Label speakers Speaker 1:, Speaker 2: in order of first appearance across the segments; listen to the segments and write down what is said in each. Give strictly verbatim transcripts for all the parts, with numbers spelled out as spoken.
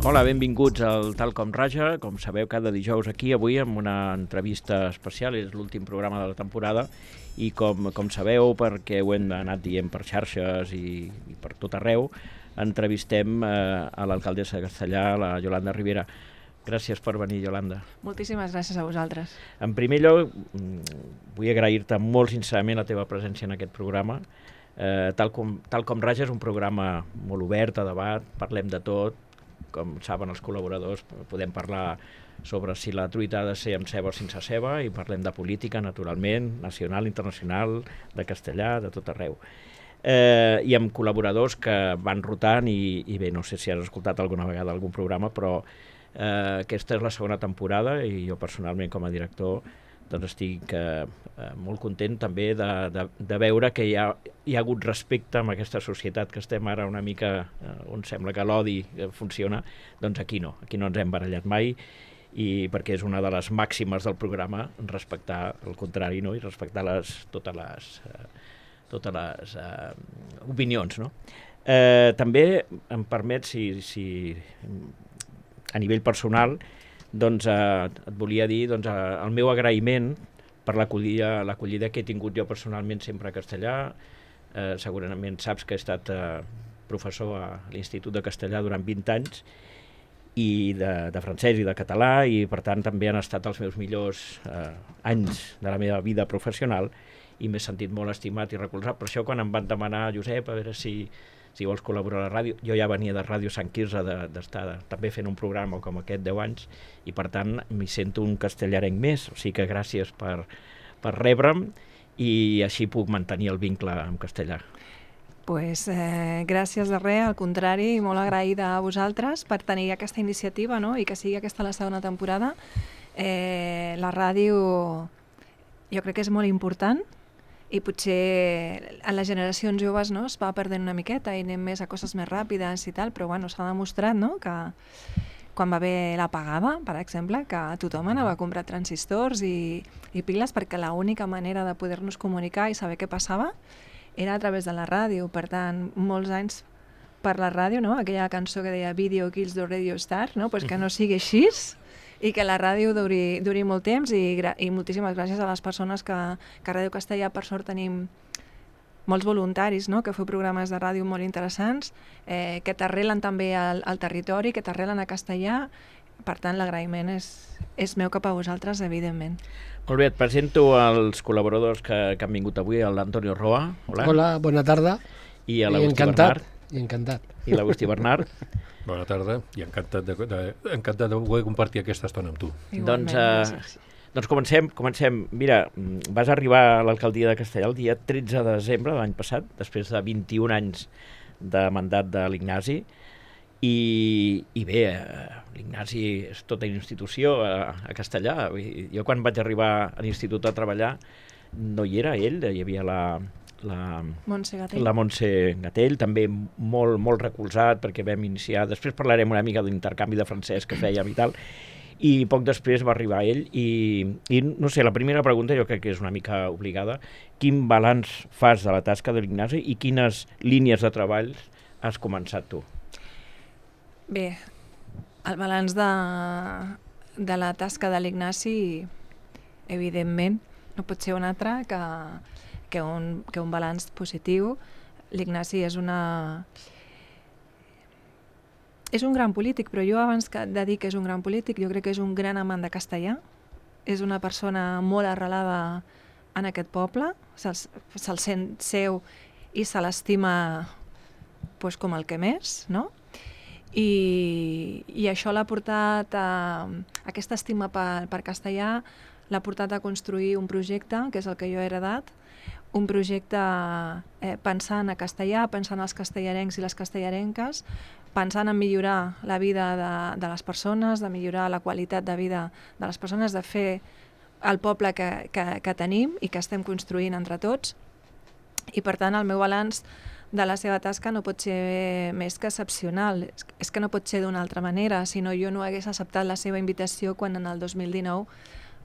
Speaker 1: Hola, benvinguts al Tal com Raja. Com sabeu, cada dijous aquí, avui amb una entrevista especial, és l'últim programa de la temporada, i com, com sabeu, perquè ho hem anat dient per xarxes i, i per tot arreu, entrevistem eh, a l'alcaldessa de Castellar, la Yolanda Rivera. Gràcies per venir, Yolanda.
Speaker 2: Moltíssimes gràcies a vosaltres.
Speaker 1: En primer lloc, vull agrair-te molt sincerament la teva presència en aquest programa. Eh, tal, com, tal com Raja és un programa molt obert a debat, parlem de tot. Com saben els col·laboradors, podem parlar sobre si la truita ha de ser amb ceba o sense ceba, i parlem de política, naturalment, nacional, internacional, de castellà, de tot arreu. Eh, I amb col·laboradors que van rotant i, i bé, no sé si has escoltat alguna vegada algun programa, però eh, aquesta és la segona temporada i jo personalment com a director doncs estic eh, molt content també de, de, de veure que hi ha, hi ha hagut respecte amb aquesta societat que estem ara una mica eh, on sembla que l'odi funciona, doncs aquí no, aquí no ens hem barallat mai, i perquè és una de les màximes del programa respectar el contrari, no? I respectar les, totes les, eh, totes les eh, opinions, no? Eh, també em permet, si, si a nivell personal, doncs eh, et volia dir doncs, eh, el meu agraïment per l'acollida l'acollida que he tingut jo personalment sempre a Castellar. Eh, segurament saps que he estat eh, professor a l'Institut de Castellar durant vint anys, i de, de francès i de català, i per tant també han estat els meus millors eh, anys de la meva vida professional, i m'he sentit molt estimat i recolzat. Per això quan em van demanar, Josep, a veure si si vols col·laborar a la ràdio, jo ja venia de Ràdio Sant Quirze d'estar de, també fent un programa com aquest deu anys, i per tant m'hi sento un castellarenc més, o sigui que gràcies per, per rebre'm, i així puc mantenir el vincle amb castellà.
Speaker 2: Pues, eh, gràcies de res, al contrari, molt agraïda a vosaltres per tenir aquesta iniciativa, no? I que sigui aquesta la segona temporada. Eh, la ràdio jo crec que és molt important, i potser en les generacions joves, no, es va perdent una miqueta i anem més a coses més ràpides i tal, però bueno, s'ha demostrat, no, que quan va haver l'apagada, per exemple, que tothom anava a comprar transistors i, i piles, perquè l'única manera de poder-nos comunicar i saber què passava era a través de la ràdio. Per tant, molts anys per la ràdio, no? Aquella cançó que deia Video Kills the Radio Star, no? Pues que no sigui així, i que la ràdio duri, duri molt temps, i, i moltíssimes gràcies a les persones que, que a Ràdio Castellà, per sort, tenim molts voluntaris, no? Que feu programes de ràdio molt interessants, eh, que t'arrelen també al, al territori, que t'arrelen a Castellà. Per tant, l'agraïment és, és meu cap a vosaltres, evidentment.
Speaker 1: Molt bé, et presento els col·laboradors que, que han vingut avui, l'Antonio Roa. Hola.
Speaker 3: Hola, bona tarda.
Speaker 1: I l'Agustí Bernard.
Speaker 3: I encantat.
Speaker 1: I l'Agustí Bernard.
Speaker 4: Bona tarda, i encantat de, de, encantat de poder compartir aquesta estona amb tu.
Speaker 1: Igualment, doncs, eh, doncs comencem, comencem. Mira, vas arribar a l'alcaldia de Castellar el dia tretze de desembre de l'any passat, després de vint-i-un anys de mandat de l'Ignasi, i, i bé, eh, l'Ignasi és tota una institució a, a Castellar. Jo quan vaig arribar a l'institut a treballar no hi era ell, hi havia la... La
Speaker 2: Montse Gatell.
Speaker 1: la Montse Gatell, també molt, molt recolzat, perquè vam iniciar, després parlarem una mica de l'intercanvi de francès que fèiem i tal, i poc després va arribar ell, i, i no sé, la primera pregunta jo crec que és una mica obligada: quin balanç fas de la tasca de l'Ignasi i quines línies de treball has començat tu?
Speaker 2: Bé, el balanç de, de la tasca de l'Ignasi, evidentment, no pot ser un altre que que un, que un balanç positiu. L'Ignasi és una... és un gran polític, però jo abans de dir que és un gran polític, jo crec que és un gran amant de castellà. És una persona molt arrelada en aquest poble, se'l se sent seu i se l'estima pues, com el que més, no? I, i això l'ha portat a... aquesta estima per, per castellà l'ha portat a construir un projecte, que és el que jo he heredat, un projecte eh, pensant a castellà, pensant als castellarencs i les castellarenques, pensant en millorar la vida de, de les persones, de millorar la qualitat de vida de les persones, de fer el poble que, que, que tenim i que estem construint entre tots. I per tant el meu balanç de la seva tasca no pot ser més que excepcional. És que no pot ser d'una altra manera, si no jo no hagués acceptat la seva invitació quan en el dos mil dinou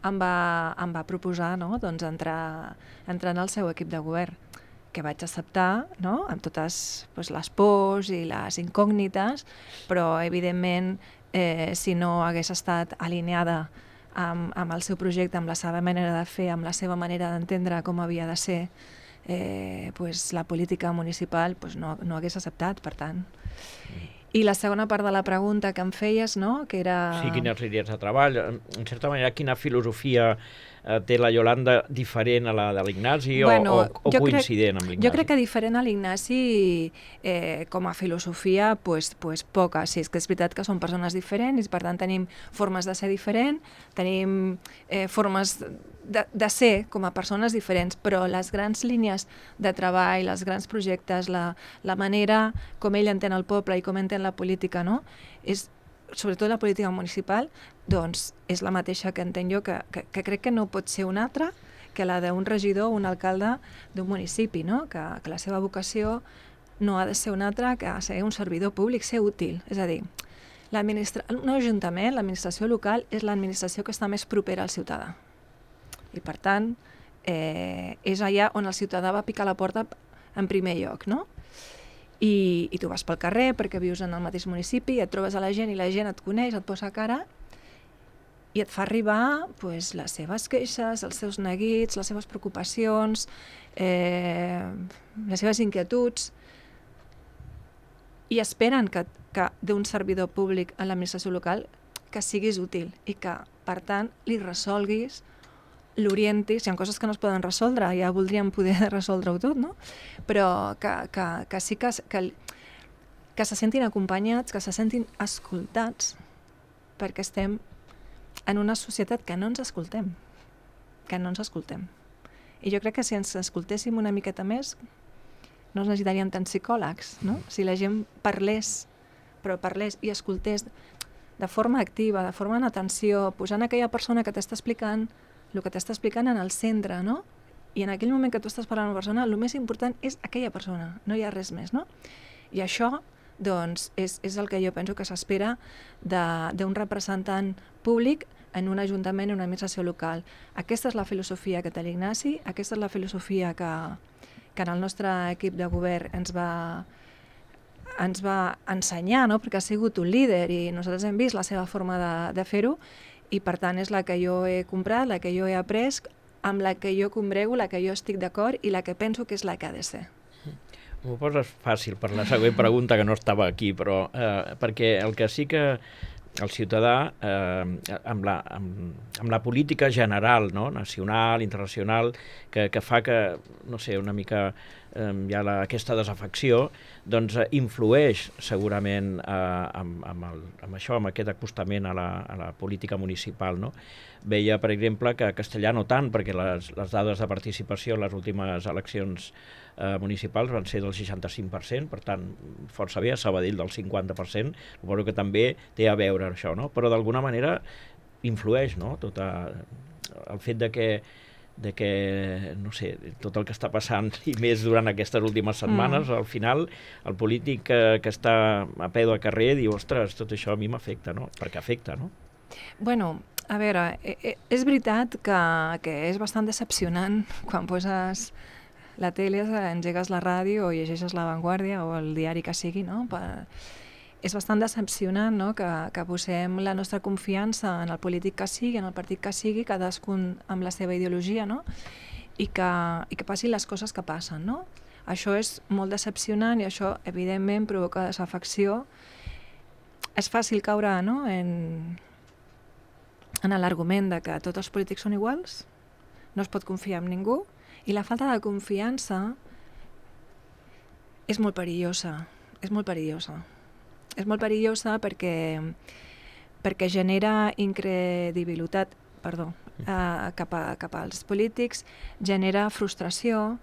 Speaker 2: em va, em va proposar, no? Doncs entrar, entrar en el seu equip de govern. que vaig acceptar, no? Amb totes pues, les pors i les incògnites, però evidentment eh, si no hagués estat alineada amb, amb el seu projecte, amb la seva manera de fer, amb la seva manera d'entendre com havia de ser eh, pues, la política municipal, pues, no, no hagués acceptat, per tant. I la segona part de la pregunta que em feies, no? Que era...
Speaker 1: Sí, quines línies de treball, en certa manera, quina filosofia eh, té la Iolanda diferent a la de l'Ignasi
Speaker 2: bueno,
Speaker 1: o, o, o coincident amb l'Ignasi?
Speaker 2: Jo crec que diferent a l'Ignasi, eh, com a filosofia, pues, pues poca. Sí, és que és veritat que són persones diferents i per tant tenim formes de ser diferents, tenim eh, formes de, de ser com a persones diferents, però les grans línies de treball, els grans projectes, la, la manera com ell entén el poble i com entén la política, no? És, sobretot la política municipal, doncs és la mateixa que entenc jo, que, que, que crec que no pot ser una altra que la d'un regidor o un alcalde d'un municipi, no? Que, que la seva vocació no ha de ser una altra que ser un servidor públic, ser útil. És a dir, un ajuntament, l'administració local, és l'administració que està més propera al ciutadà. I per tant, eh, és allà on el ciutadà va picar la porta en primer lloc, no? I, i tu vas pel carrer perquè vius en el mateix municipi, et trobes a la gent i la gent et coneix, et posa cara i et fa arribar pues, les seves queixes, els seus neguits, les seves preocupacions, eh, les seves inquietuds, i esperen que, que d'un servidor públic a l'administració local que siguis útil i que, per tant, li resolguis, l'orientis. Hi ha coses que no es poden resoldre, ja voldríem poder resoldre-ho tot, no? Però que, que, que sí que, que, que se sentin acompanyats, que se sentin escoltats, perquè estem en una societat que no ens escoltem, que no ens escoltem. I jo crec que si ens escoltéssim una miqueta més, no necessitaríem tants psicòlegs, no? Si la gent parlés, però parlés i escoltés de forma activa, de forma en atenció, posant aquella persona que t'està explicant el que t'està explicant en el centre, no? I en aquell moment que tu estàs parlant amb una persona, el més important és aquella persona, no hi ha res més, no? I això, doncs, és, és el que jo penso que s'espera d'un representant públic en un ajuntament, en una administració local. Aquesta és la filosofia que té l'Ignasi, aquesta és la filosofia que, que en el nostre equip de govern ens va, ens va ensenyar, no? Perquè ha sigut un líder i nosaltres hem vist la seva forma de, de fer-ho, i per tant és la que jo he comprat, la que jo he après, amb la que jo combrego, la que jo estic d'acord i la que penso que és la que ha de ser.
Speaker 1: M'ho poses fàcil per la següent pregunta, que no estava aquí, però eh, perquè el que sí que el ciutadà, eh, amb, la, amb, amb la política general, no? Nacional, internacional, que, que fa que, no sé, una mica eh, hi ha la, aquesta desafecció, doncs eh, influeix segurament eh, amb, amb, el, amb això, amb aquest acostament a la, a la política municipal, no? Veia, per exemple, que a Castellà no tant, perquè les, les dades de participació en les últimes eleccions eh, municipals van ser del seixanta-cinc per cent, per tant, força bé, a Sabadell del cinquanta per cent, suposo que també té a veure això, no? Però d'alguna manera influeix, no? Tot a, el fet de que de que, no sé, tot el que està passant i més durant aquestes últimes setmanes, mm. al final el polític que, que està a peu de carrer diu, ostres, tot això a mi m'afecta, no? Perquè afecta, no?
Speaker 2: Bueno, a veure, és veritat que, que és bastant decepcionant quan poses la tele, engegues la ràdio o llegeixes La Vanguardia o el diari que sigui, no? Per... És bastant decepcionant, no? que, que posem la nostra confiança en el polític que sigui, en el partit que sigui, cadascun amb la seva ideologia, no? I, que, i que passin les coses que passen, no? Això és molt decepcionant i això, evidentment, provoca desafecció. És fàcil caure, no? en, en l'argument de que tots els polítics són iguals, no es pot confiar en ningú, i la falta de confiança és molt perillosa, és molt perillosa. És molt perillosa perquè, perquè genera incredibilitat, perdó, eh, cap, a, cap als polítics, genera frustració.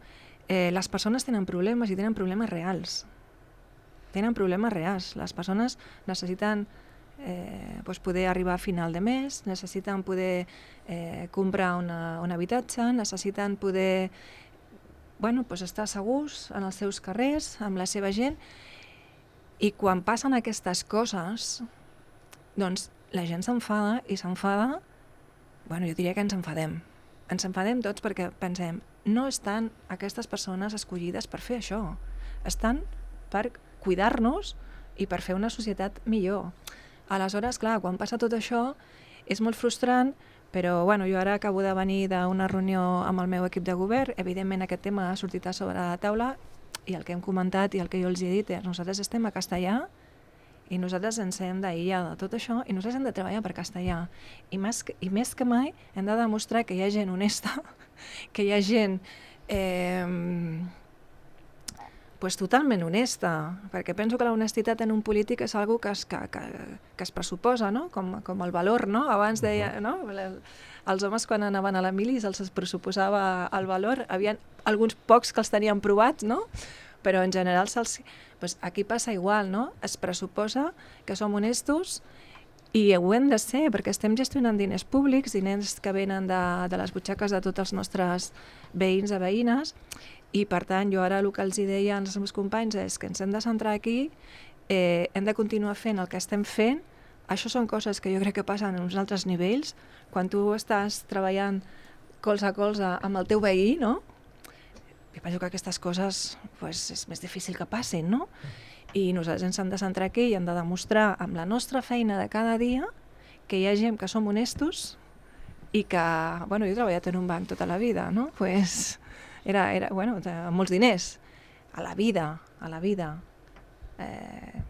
Speaker 2: Eh, les persones tenen problemes i tenen problemes reals. Tenen problemes reals. Les persones necessiten eh, doncs poder arribar a final de mes, necessiten poder eh, comprar una, un habitatge, necessiten poder bueno, doncs estar segurs en els seus carrers, amb la seva gent. I quan passen aquestes coses, doncs la gent s'enfada i s'enfada, bueno, jo diria que ens enfadem. ens enfadem tots perquè pensem, no estan aquestes persones escollides per fer això, estan per cuidar-nos i per fer una societat millor. Aleshores, clar, quan passa tot això és molt frustrant, però bueno, jo ara acabo de venir d'una reunió amb el meu equip de govern, evidentment aquest tema ha sortit a sobre la taula i el que hem comentat i el que jo els he dit és nosaltres estem a castellà i nosaltres ens hem d'aïllar de tot això i nosaltres hem de treballar per castellà. I més que, i més que mai hem de demostrar que hi ha gent honesta, que hi ha gent eh, pues totalment honesta, perquè penso que la honestitat en un polític és algo que es, que, que, que es pressuposa, no? com, com el valor, no? Abans deia, no? Els homes quan anaven a la mili se'ls pressuposava el valor, havia alguns pocs que els tenien provats, no? Però en general se'ls... Pues aquí passa igual, no? Es pressuposa que som honestos i ho hem de ser, perquè estem gestionant diners públics, diners que venen de, de les butxaques de tots els nostres veïns i veïnes, i per tant jo ara el que els deia als meus companys és que ens hem de centrar aquí, eh, hem de continuar fent el que estem fent. Això són coses que jo crec que passen en uns altres nivells, quan tu estàs treballant colze a colze amb el teu veí, no? Jo penso que aquestes coses pues, és més difícil que passin, no? I nosaltres ens hem de centrar aquí i hem de demostrar amb la nostra feina de cada dia que hi ha gent que som honestos i que, bueno, jo he treballat en un banc tota la vida, no? Pues era, era bueno, amb molts diners, a la vida, a la vida. Eh,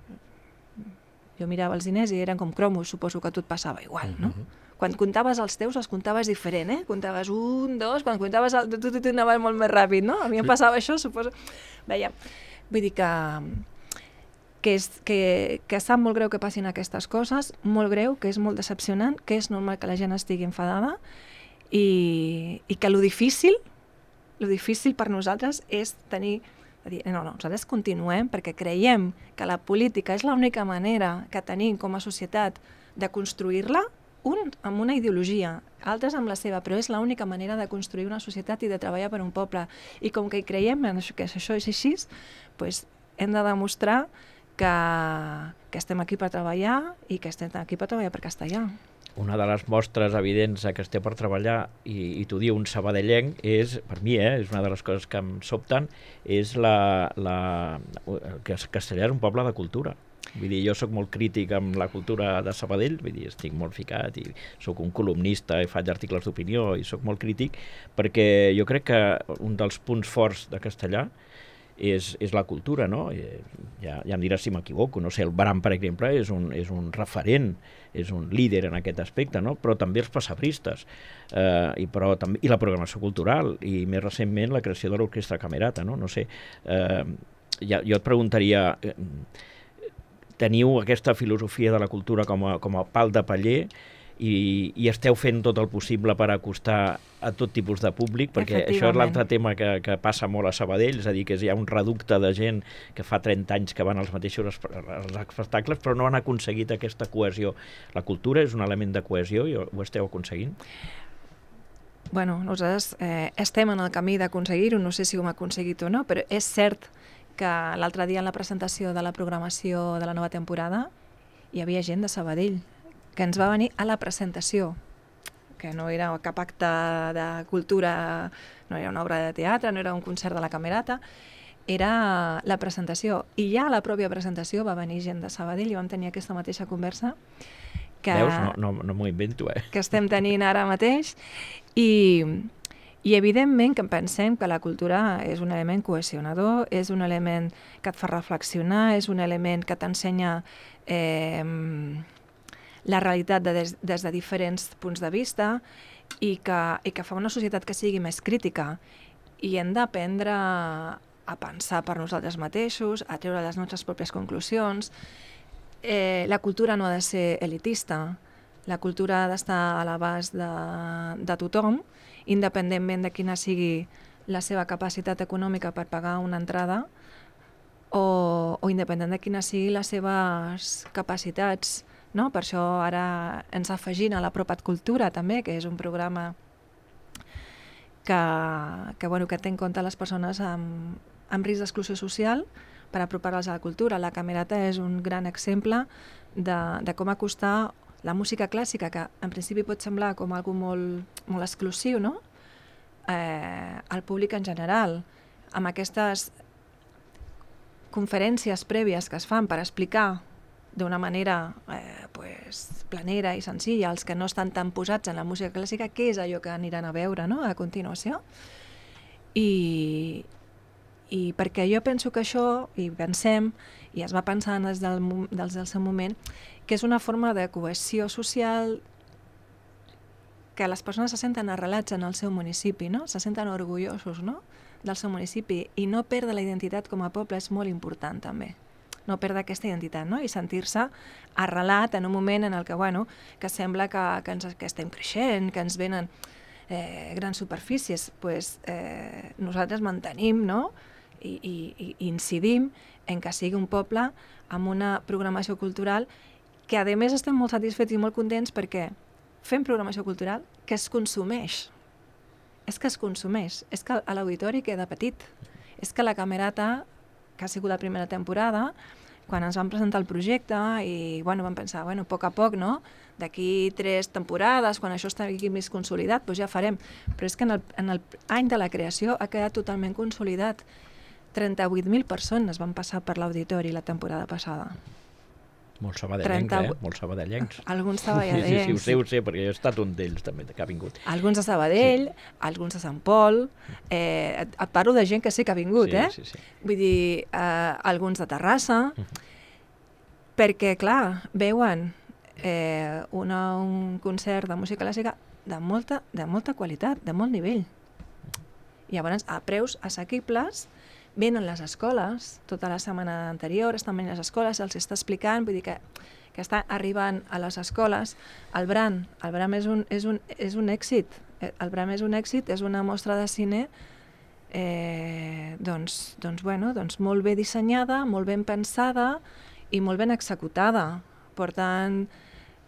Speaker 2: jo mirava els diners i eren com cromos, suposo que a tu et passava igual, no? Quan comptaves els teus, els comptaves diferent, eh? Comptaves un, dos, quan comptaves el... tu, tu, tu anaves molt més ràpid, no? A mi em passava això, suposo... Veia, vull dir que... Que, és, que, que sap molt greu que passin aquestes coses, molt greu, que és molt decepcionant, que és normal que la gent estigui enfadada i, i que lo difícil, lo difícil per nosaltres és tenir... Dir, no, no, nosaltres continuem perquè creiem que la política és l'única manera que tenim com a societat de construir-la, un amb una ideologia, altres amb la seva, però és l'única manera de construir una societat i de treballar per un poble. I com que hi creiem en això, que això és així, doncs hem de demostrar que, que estem aquí per treballar i que estem aquí per treballar per castellà.
Speaker 1: Una de les mostres evidents que estem per treballar, i, i t'ho diu un sabadellenc, és, per mi, eh, és una de les coses que em sobten, és la, la, que Castellà és un poble de cultura. Vull dir, jo sóc molt crític amb la cultura de Sabadell, vull dir, estic molt ficat i sóc un columnista i faig articles d'opinió i sóc molt crític perquè jo crec que un dels punts forts de Castellà és, és la cultura, no? Ja, ja em diràs si m'equivoco, no sé, el Bram, per exemple, és un, és un referent, és un líder en aquest aspecte, no? Però també els passabristes, eh, i, però, també, i la programació cultural, i més recentment la creació de l'Orquestra Camerata, no? No sé, eh, ja, jo et preguntaria... Eh, teniu aquesta filosofia de la cultura com a, com a pal de paller i, i esteu fent tot el possible per acostar a tot tipus de públic, perquè això és l'altre tema que, que passa molt a Sabadell, és a dir, que hi ha un reducte de gent que fa trenta anys que van als mateixos als espectacles, però no han aconseguit aquesta cohesió. La cultura és un element de cohesió i ho esteu aconseguint?
Speaker 2: Bueno, nosaltres eh, estem en el camí d'aconseguir-ho, no sé si ho hem aconseguit o no, però és cert que l'altre dia en la presentació de la programació de la nova temporada hi havia gent de Sabadell que ens va venir a la presentació, que no era cap acte de cultura, no era una obra de teatre, no era un concert de la Camerata, era la presentació. I ja a la pròpia presentació va venir gent de Sabadell i vam tenir aquesta mateixa conversa que,
Speaker 1: Veus? No, no, no m'ho invento, eh?
Speaker 2: que estem tenint ara mateix i... I evidentment que pensem que la cultura és un element cohesionador, és un element que et fa reflexionar, és un element que t'ensenya eh, la realitat de des, des de diferents punts de vista i que, i que fa una societat que sigui més crítica. I hem d'aprendre a pensar per nosaltres mateixos, a treure les nostres pròpies conclusions. Eh, la cultura no ha de ser elitista, la cultura ha d'estar a l'abast de, de tothom, independentment de quina sigui la seva capacitat econòmica per pagar una entrada o, o independent de quines siguin les seves capacitats. No? Per això ara ens afegim a la Propat Cultura també, que és un programa que, que, bueno, que té en compte les persones amb, amb risc d'exclusió social per apropar-les a la cultura. La Camerata és un gran exemple de, de com acostar la música clàssica, que en principi pot semblar com algo molt, molt exclusiu, no? eh, al públic en general, amb aquestes conferències prèvies que es fan per explicar d'una manera eh, pues, planera i senzilla als que no estan tan posats en la música clàssica què és allò que aniran a veure, no?, a continuació. I, i perquè jo penso que això, i pensem, i es va pensar des del, des del seu moment, que és una forma de cohesió social, que les persones se senten arrelats en el seu municipi, no?, se senten orgullosos, no?, del seu municipi, i no perdre la identitat com a poble és molt important també. No perdre aquesta identitat, no?, i sentir-se arrelat en un moment en el que, bueno, que sembla que, que, ens, que estem creixent, que ens venen eh, grans superfícies, pues, eh, nosaltres mantenim, no?, i, i, i incidim en que sigui un poble amb una programació cultural que, a més, estem molt satisfets i molt contents perquè fem programació cultural que es consumeix. És que es consumeix. És que a l'auditori queda petit. És que la Camerata, que ha sigut la primera temporada, quan ens van presentar el projecte i bueno, vam pensar, bueno, a poc a poc, no? D'aquí tres temporades, quan això estigui més consolidat, doncs ja farem. Però és que en el, en el any de la creació ha quedat totalment consolidat. trenta-vuit mil persones van passar per l'auditori la temporada passada.
Speaker 1: Molts sabadellencs, trenta... eh? Molts sabadellencs.
Speaker 2: Alguns sabadellencs.
Speaker 1: Sí, sí, sí, ho sé, ho sé, perquè jo he estat un d'ells també, que ha vingut.
Speaker 2: Alguns de Sabadell, sí. Alguns de Sant Pol, eh, et, et parlo de gent que sí que ha vingut,
Speaker 1: sí,
Speaker 2: eh?
Speaker 1: Sí, sí.
Speaker 2: Vull dir, eh, alguns de Terrassa, uh-huh. perquè, clar, veuen eh, una, un concert de música clàssica de molta, de molta qualitat, de molt nivell. I llavors, a preus assequibles, venen les escoles, tota la setmana anterior estan venint les escoles, se'ls està explicant, vull dir que, que està arribant a les escoles. El Bram, el Bram és un, és un, és un èxit, el Bram és un èxit, és una mostra de cine eh, doncs, doncs, bueno, doncs molt bé dissenyada, molt ben pensada i molt ben executada. Per tant,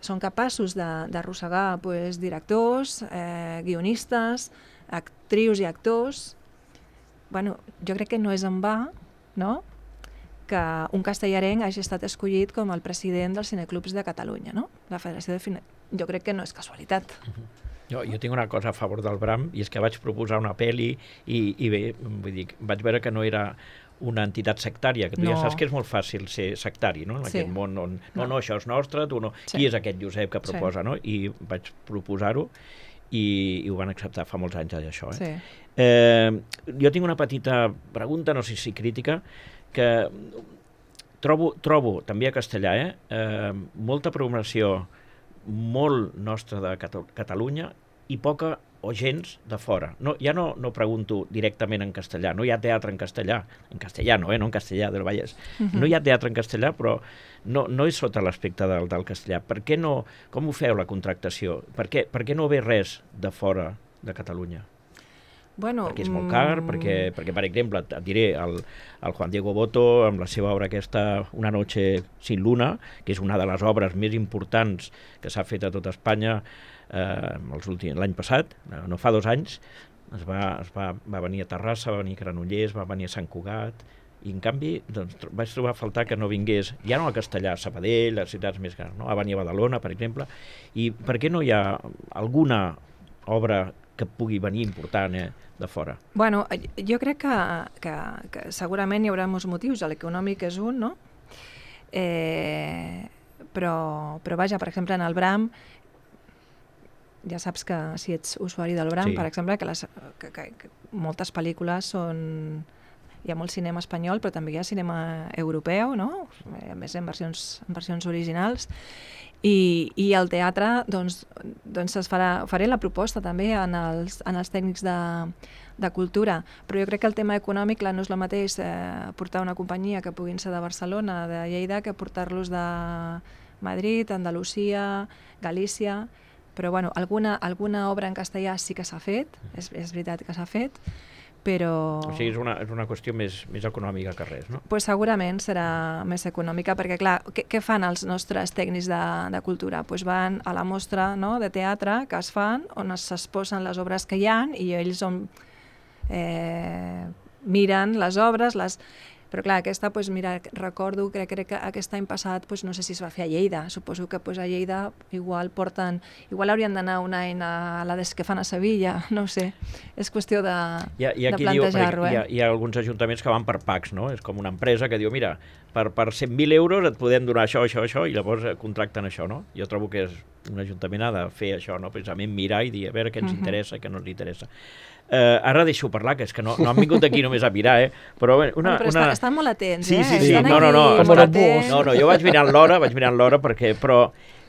Speaker 2: són capaços d'arrossegar pues, directors, eh, guionistes, actrius i actors. Bueno, jo crec que no és en va, no?, que un castellarenc hagi estat escollit com el president dels cineclubs de Catalunya, no? La Federació de Cine... Jo crec que no és casualitat.
Speaker 1: Uh-huh. jo, jo tinc una cosa a favor del Bram, i és que vaig proposar una pel·li i, i bé, vull dir, vaig veure que no era una entitat sectària, que tu no. Ja saps que és molt fàcil ser sectari, no?, en sí. Aquest món on, no, no, no, això és nostre, tu no... Sí. Qui és aquest Josep que proposa, sí. No? I vaig proposar-ho, i, i ho van acceptar fa molts anys, això. Eh? Sí. Eh, jo tinc una petita pregunta, no sé si crítica, que trobo, trobo també a castellà, eh, eh, molta programació molt nostra de Cata- Catalunya i poca o gens de fora. No, ja no, no pregunto directament en castellà, no hi ha teatre en castellà, en castellà no, eh, no en castellà del Vallès, uh-huh. No hi ha teatre en castellà, però no, no és sota l'aspecte del, del castellà. Per què no, com ho feu la contractació? Per què, per què no ve res de fora de Catalunya?
Speaker 2: Bueno,
Speaker 1: perquè és molt car, mm... perquè, perquè, per exemple, et diré, el, el Juan Diego Boto, amb la seva obra aquesta Una noche sin luna, que és una de les obres més importants que s'ha fet a tot Espanya eh, l'any passat, no fa dos anys, es va, es va, va venir a Terrassa, va venir a Granollers, va venir a Sant Cugat, i en canvi doncs, vaig trobar a faltar que no vingués, ja no a castellà, a Sabadell, a les ciutats més grans, no? A venir a Badalona, per exemple, i per què no hi ha alguna obra que pugui venir important eh, de fora?
Speaker 2: Bueno, jo crec que, que, que segurament hi haurà molts motius, l'econòmic és un, no? Eh, però, però vaja, per exemple, en el Bram, ja saps que si ets usuari del Bram, sí. Per exemple, que, les, que, que, que moltes pel·lícules són... Hi ha molt cinema espanyol, però també hi ha cinema europeu, no? A més, en versions, en versions originals. I, i al teatre, doncs, doncs es farà, faré la proposta també en els, en els tècnics de, de cultura, però jo crec que el tema econòmic no és el mateix eh, portar una companyia que puguin ser de Barcelona, de Lleida, que portar-los de Madrid, Andalusia, Galícia, però bueno, alguna, alguna obra en castellà sí que s'ha fet, és, és veritat que s'ha fet, però...
Speaker 1: O sigui, és una, és una qüestió més, més econòmica que res, no?
Speaker 2: Pues segurament serà més econòmica, perquè clar, què, què fan els nostres tècnics de, de cultura? Pues van a la mostra, no?, de teatre que es fan, on s'exposen les obres que hi ha, i ells on, eh, miren les obres, les... Però clar, aquesta, doncs, mira, recordo, crec, crec que aquest any passat, doncs, no sé si es va fer a Lleida, suposo que doncs, a Lleida igual porten, igual haurien d'anar un any a la des que fan a Sevilla, no ho sé, és qüestió de,
Speaker 1: I, i
Speaker 2: de plantejar-ho.
Speaker 1: Eh? Hi, ha, hi ha alguns ajuntaments que van per packs, no? És com una empresa que diu, mira, per, per cent mil euros et podem donar això, això, això, i llavors contracten això, no? Jo trobo que és un ajuntament ha de fer això, no? Precisament mirar i dir a veure què ens uh-huh. interessa i què no ens interessa. Uh, ara deixo parlar, que és que no, no han vingut aquí només a mirar, eh? Però, bé, una,
Speaker 2: però
Speaker 1: una...
Speaker 2: estan, estan molt atents,
Speaker 1: sí,
Speaker 2: eh?
Speaker 1: Sí, sí, sí. No, no, no, no, no, no, jo vaig mirant l'hora, vaig mirant l'hora perquè... Però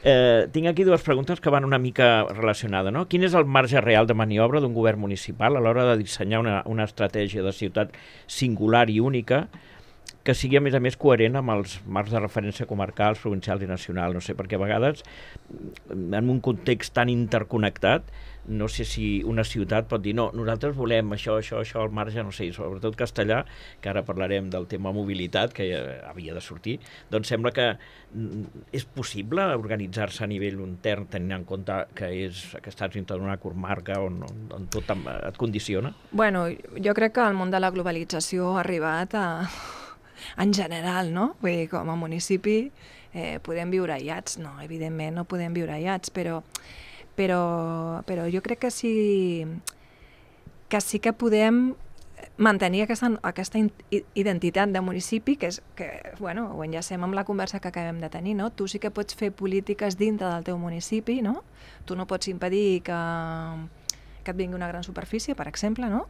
Speaker 1: eh, tinc aquí dues preguntes que van una mica relacionades, no? Quin és el marge real de maniobra d'un govern municipal a l'hora de dissenyar una, una estratègia de ciutat singular i única que sigui, a més a més, coherent amb els marcs de referència comarcals, provincials i nacionals? No sé, perquè a vegades, en un context tan interconnectat, no sé si una ciutat pot dir no, nosaltres volem això, això, això, al marge, no sé, sobretot castellà, que ara parlarem del tema mobilitat, que ja havia de sortir, doncs sembla que és possible organitzar-se a nivell intern tenint en compte que, és, que estàs dintre d'una comarca on, on tot et condiciona?
Speaker 2: Bueno, jo crec que el món de la globalització ha arribat a... en general, no? Vull dir, com a municipi eh, podem viure aïllats, no, evidentment no podem viure aïllats, però Però, però jo crec que sí que sí que podem mantenir aquesta, aquesta identitat de municipi, que és que, bueno, ho enllacem amb la conversa que acabem de tenir, no? Tu sí que pots fer polítiques dintre del teu municipi, no? Tu no pots impedir que, que et vingui una gran superfície, per exemple, no?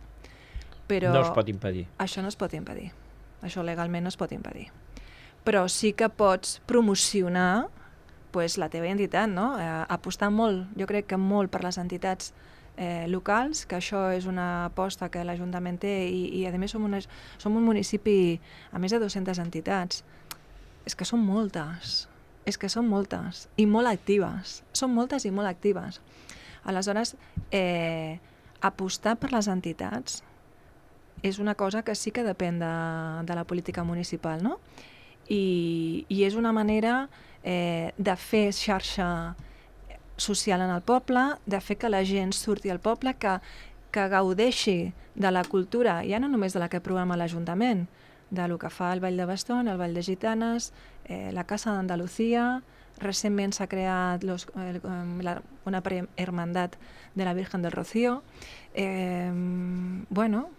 Speaker 2: Però
Speaker 1: no es pot impedir.
Speaker 2: Això no es pot impedir. Això legalment no es pot impedir. Però sí que pots promocionar pues, la teva identitat, no? Eh, apostar molt, jo crec que molt per les entitats eh, locals, que això és una aposta que l'Ajuntament té i, i a més som, una, som un municipi a més de dues-centes entitats. És que són moltes, és que són moltes i molt actives, són moltes i molt actives. Aleshores, eh, apostar per les entitats és una cosa que sí que depèn de, de la política municipal, no? I, i és una manera eh, de fer xarxa social en el poble, de fer que la gent surti al poble, que, que gaudeixi de la cultura, ja no només de la que programa l'Ajuntament, de lo que fa el Ball de Bastón, el Ball de Gitanes, eh, la Casa d'Andalucía, recentment s'ha creat los, eh, la, una hermandat de la Virgen del Rocío, eh, bueno,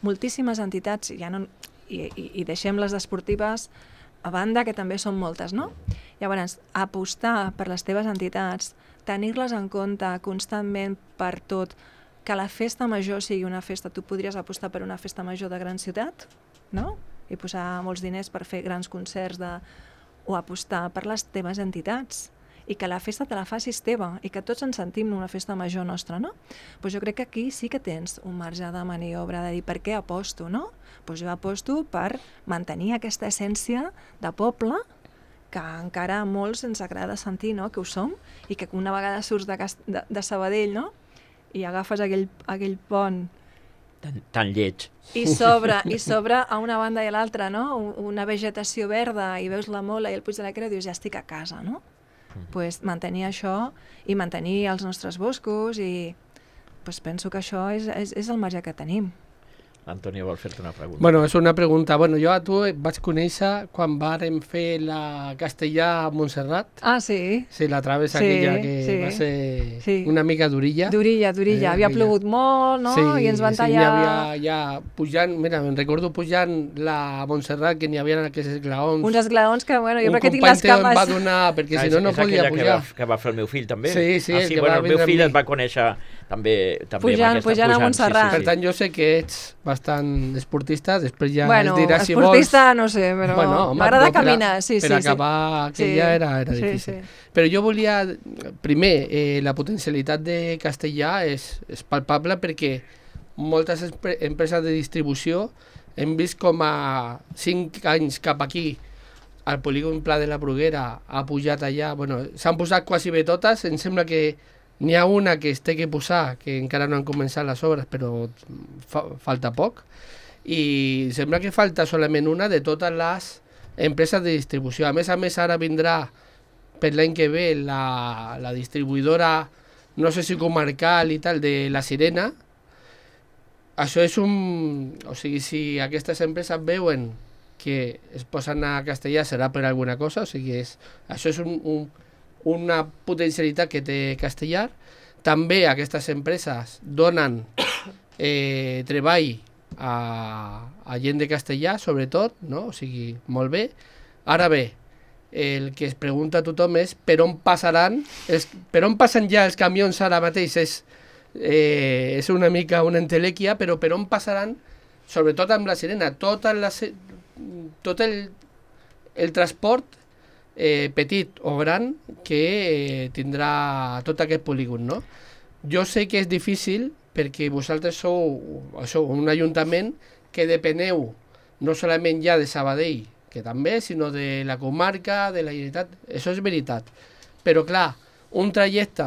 Speaker 2: moltíssimes entitats, ja no, i, i, i deixem les esportives a banda, que també són moltes, no? Llavors, apostar per les teves entitats, tenir-les en compte constantment per tot, que la festa major sigui una festa, tu podries apostar per una festa major de gran ciutat, no? I posar molts diners per fer grans concerts de... o apostar per les teves entitats i que la festa te la facis teva i que tots ens sentim una festa major nostra, no? Pues jo crec que aquí sí que tens un marge de maniobra de dir per què aposto, no? Pues jo aposto per mantenir aquesta essència de poble que encara a molts ens agrada sentir, no? Que ho som, i que una vegada surts de, de, de Sabadell, no? I agafes aquell, aquell pont
Speaker 1: tan, tan lleig
Speaker 2: i sobre, i sobre a una banda i a l'altra, no? Una vegetació verda i veus la Mola i el Puig de la Creu i dius ja estic a casa, no? Mm. Pues mantenir això i mantenir els nostres boscos i pues penso que això és, és, és el marge que tenim.
Speaker 1: Antonio vol fer-te una pregunta.
Speaker 3: Bueno, és una pregunta. Bueno, jo a tu vaig conèixer quan vàrem fer la Castellà a Montserrat.
Speaker 2: Ah, sí?
Speaker 3: Sí, la travessa
Speaker 2: sí,
Speaker 3: aquella que
Speaker 2: sí,
Speaker 3: va ser
Speaker 2: sí.
Speaker 3: una mica durilla.
Speaker 2: Durilla, durilla. Eh, havia aquella. Plogut molt, no?
Speaker 3: Sí,
Speaker 2: I ens van
Speaker 3: sí,
Speaker 2: tallar...
Speaker 3: n'hi havia ja pujant, mira, me'n recordo pujant la Montserrat, que n'hi havia aquests esglaons.
Speaker 2: Uns esglaons que, bueno, jo
Speaker 3: un
Speaker 2: crec que tinc les cames...
Speaker 3: Un company em va donar, perquè ah, si no, no podia pujar.
Speaker 1: És aquella que va, que va fer el meu fill, també?
Speaker 3: Sí, sí.
Speaker 1: Ah, sí, bueno, el meu fill et va conèixer també, també
Speaker 2: pujant,
Speaker 1: amb aquesta,
Speaker 2: pujant a Montserrat.
Speaker 3: Sí, sí, sí. Per tant, jo sé que ets bastant esportista, després ja
Speaker 2: bueno,
Speaker 3: es dirà si vols...
Speaker 2: Bueno, esportista no sé, però bueno, m'agrada no, caminar, sí,
Speaker 3: per
Speaker 2: sí.
Speaker 3: Per acabar
Speaker 2: sí.
Speaker 3: aquella
Speaker 2: sí.
Speaker 3: era, era difícil.
Speaker 2: Sí, sí.
Speaker 3: Però jo volia, primer, eh, la potencialitat de Castellà és, és palpable perquè moltes empreses de distribució hem vist com a cinc anys cap aquí el polígon Pla de la Bruguera ha pujat allà, bueno, s'han posat quasi bé totes, em sembla que n'hi ha una que es té que posar, que encara no han començat les obres, però fa, falta poc, i sembla que falta solament una de totes les empreses de distribució. A més a més, ara vindrà per l'any que ve la, la distribuïdora, no sé si comarcal i tal, de La Sirena, això és un... O sigui, si aquestes empreses veuen que es posen a castellà serà per alguna cosa, o sigui, és, això és un, un, una potencialitat que té castellà. També aquestes empreses donen eh, treball a, a gent de castellà, sobretot, no? O sigui, molt bé. Ara bé, el que es pregunta a tothom és per on passaran, els, per on passen ja els camions ara mateix, és, eh, és una mica una entelèquia, però per on passaran, sobretot amb la sirena, tota la, tot el, el transport eh, petit o gran que eh, tindrà tot aquest polígon, no? Jo sé que és difícil perquè vosaltres sou, sou un ajuntament que depeneu no solament ja de Sabadell, que també, sinó de la comarca, de la Generalitat, això és veritat. Però clar, un trajecte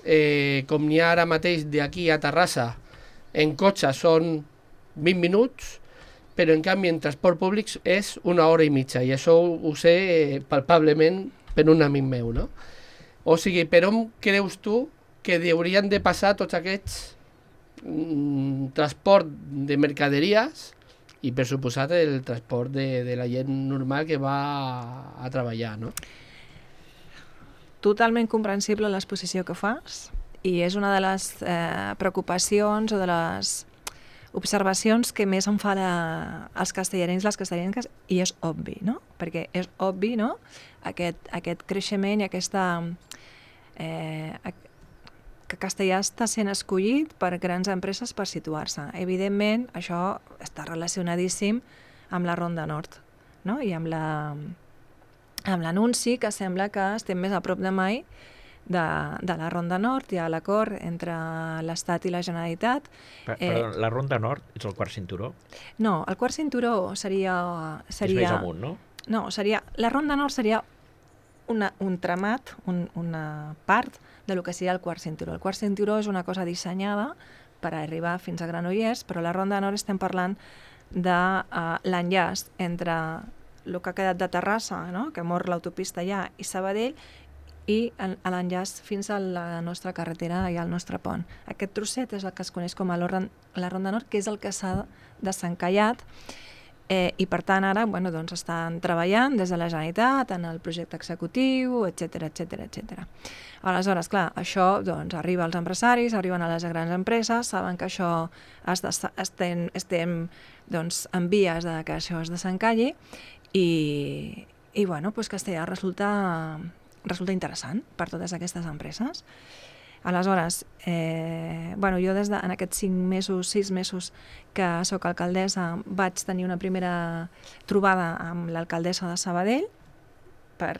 Speaker 3: eh, com n'hi ha ara mateix d'aquí a Terrassa, en cotxe són vint minuts, però en canvi en transport públic és una hora i mitja, i això ho, ho sé eh, palpablement per un amic meu, no? O sigui, per on creus tu que haurien de passar tots aquests mm, transport de mercaderies i per suposat el transport de, de la gent normal que va a, a treballar, no?
Speaker 2: Totalment comprensible l'exposició que fas i és una de les eh, preocupacions o de les observacions que més em fa la, els castellanencs, les castellanenques, i és obvi, no? Perquè és obvi, no?, aquest, aquest creixement i aquesta... Eh, que castellà està sent escollit per grans empreses per situar-se. Evidentment, això està relacionadíssim amb la Ronda Nord, no?, i amb la, amb l'anunci que sembla que estem més a prop de mai de, de la Ronda Nord. Hi ha l'acord entre l'Estat i la Generalitat.
Speaker 1: Per, eh, perdó, la Ronda Nord és el quart cinturó?
Speaker 2: No, el quart cinturó seria... seria
Speaker 1: és més amunt, no?
Speaker 2: No, seria, la Ronda Nord seria una, un tramat, un, una part de lo que seria el quart cinturó. El quart cinturó és una cosa dissenyada per arribar fins a Granollers, però la Ronda Nord estem parlant de uh, l'enllaç entre el que ha quedat de Terrassa, no?, que mor l'autopista allà, i Sabadell, i l'enllaç fins a la nostra carretera i al nostre pont. Aquest trosset és el que es coneix com a la Ronda Nord, que és el que s'ha desencallat, eh, i per tant ara bueno, doncs estan treballant des de la Generalitat en el projecte executiu, etcètera, etcètera, etcètera. Aleshores, clar, això doncs, arriba als empresaris, arriben a les grans empreses, saben que això es de, estem, estem doncs, en vies de que això es desencalli i, i bueno, doncs Castellà resulta, resulta interessant per totes aquestes empreses. Aleshores, eh, bueno, jo des de, en aquests cinc mesos, sis mesos que sóc alcaldessa vaig tenir una primera trobada amb l'alcaldessa de Sabadell. Per,